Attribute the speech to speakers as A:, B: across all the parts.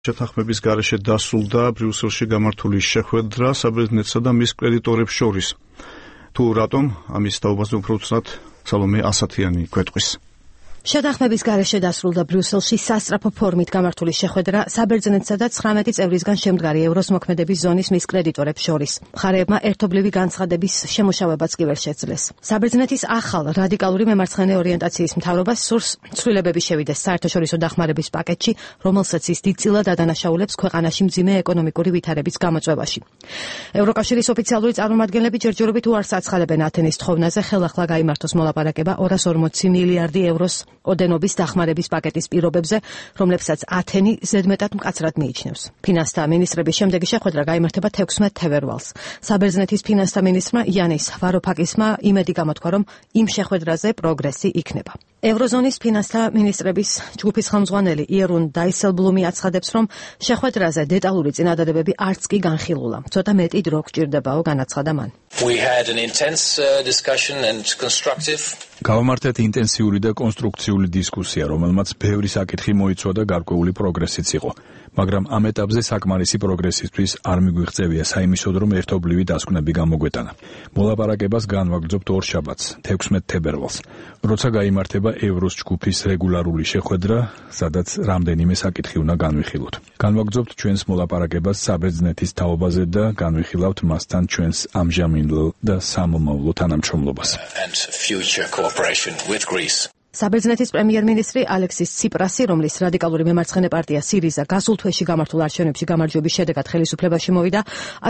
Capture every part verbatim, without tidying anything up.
A: შეთანხმების გარეშე დასრულდა ბრიუსელში გამართული შეხვედრა საბერძნეთსა და მის კრედიტორებს შორის. თუ რატომ, ამის თაობაზე უფრო უცნად სალომე ასათიანი გვეტყვის.
B: შეთანხმების გარეშე დასრულდა ბრიუსელში სასწრაფო ფორმით გამართული შეხვედრა საბერძნეთსა და ცხრამეტი წევრისგან შემდგარი ევროს მოქმედების ზონის მის კრედიტორებს შორის. მხარეებმა ერთობლივი განცხადების შემუშავებაც კი ვერ შეძლეს. საბერძნეთის ახალ რადიკალური მემარცხენე ორიენტაციის მთავრობას სურს ცვლილებები შევიდეს საერთაშორისო დახმარების პაკეტში, რომელსაც ის დიდწილად ადანაშაულებს ქვეყანაში მძიმე ეკონომიკური ვითარების გამოწვევაში. ევროკავშირის ოფიციალური წარმომადგენლები ჯერჯერობით უარს აცხადებენ ათენის თხოვნაზე ხელახლა გაიმართოს მოლაპარაკება ორას ორმოცი მილიარდი ევროს ოდენობის დახმარების პაკეტის პირობებზე, რომლებსაც ათენი ზედმეტად მკაცრად მიიჩნევს. ფინანსთა მინისტრების შემდეგი შეხვედრა გაიმართება თექვსმეტ თებერვალს. საბერძნეთის ფინანსთა მინისტრმა იანის ვაროფაკისმა იმედი გამოთქვა, რომ იმ შეხვედრაზე პროგრესი იქნება. ევროზონის ფინანსთა მინისტრების ჯგუფის ხელმძღვანელი იერუნ დაისელბლუმი აცხადებს, რომ შეხვედრაზე დეტალური წინადადებები არც კი განხილულა. ცოტა მეტი დრო გჭირდებაო, განაცხადა მან.
C: We had an intense uh, discussion and constructive.
D: გავამართეთ ინტენსიური და კონსტრუქციული დისკუსია, რომელმაც ბევრი საკითხი მოიცვა და გარკვეული პროგრესიც იყო. მაგრამ ამ ეტაპზე საკმარისი პროგრესისთვის არ მიგვიღწევია საიმისოდ, რომ ერთობლივი დასკვნები გამოგვეტანა. მოლაპარაკებას განვაგრძობთ ორ შაბათს, თექვსმეტ თებერვალს, როცა გაიმართება ევროს ჯგუფის რეგულარული შეხვედრა, სადაც რამდენიმე საკითხი უნდა განვიხილოთ. განვაგრძობთ ჩვენს მოლაპარაკებას საბერძნეთის თაობაზე და განვიხილავთ მასთან ჩვენს ამჟამინდელ და სამომავლო თანამშრომლობას.
C: And future cooperation with Greece.
B: საბერძნეთის პრემიერ-მინისტრი ალექსის ციპრასი, რომლის რადიკალური მემარცხენე პარტია სირიზა გასულ თვეში გამართულ არჩევნებში გამარჯვების შედეგად ხელისუფლებაში მოვიდა,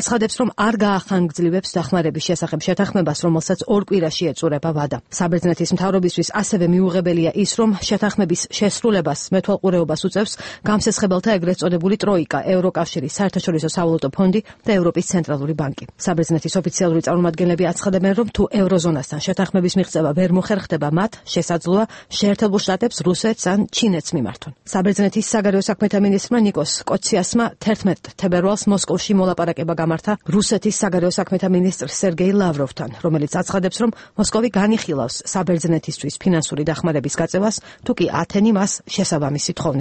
B: აცხადებს, რომ არ გაახანგრძლივებს დახმარების შესახებ შეთანხმებას, რომელსაც ორ კვირაში ეწურება ვადა. საბერძნეთის მთავრობისთვის ასევე მიუღებელია ის, რომ შეთანხმების შესრულებას მეთვალყურეობას უწევს გამსესხებელთა ეგრეთ წოდებული ტროიკა, ევროკავშირის საერთაშორისო სავალუტო ფონდი და ევროპის ცენტრალური ბანკი. საბერძნეთის ოფიციალური წარმომადგენლები აცხადებენ, რომ თუ ევროზონასთან შეთანხმების მიღწევა ვერ მოხერხდება, მათ შესაძლოა შეერთებულ შტატებს, რუსეთს ან ჩინეთს მიმართონ. საბერძნეთის საგარეო საქმეთა მინისტრმა ნიკოს კოციასმა თერთმეტ თებერვალს მოსკოვში მოლაპარაკება გამართა რუსეთის საგარეო საქმეთა მინისტრ სერგეი ლავროვთან, რომელიც აცხადებს, რომ მოსკოვი განიხილავს საბერძნეთისთვის ფინანსური დახმარების გაწევას, თუ კი ათენი მას შესაბამისი თხოვნის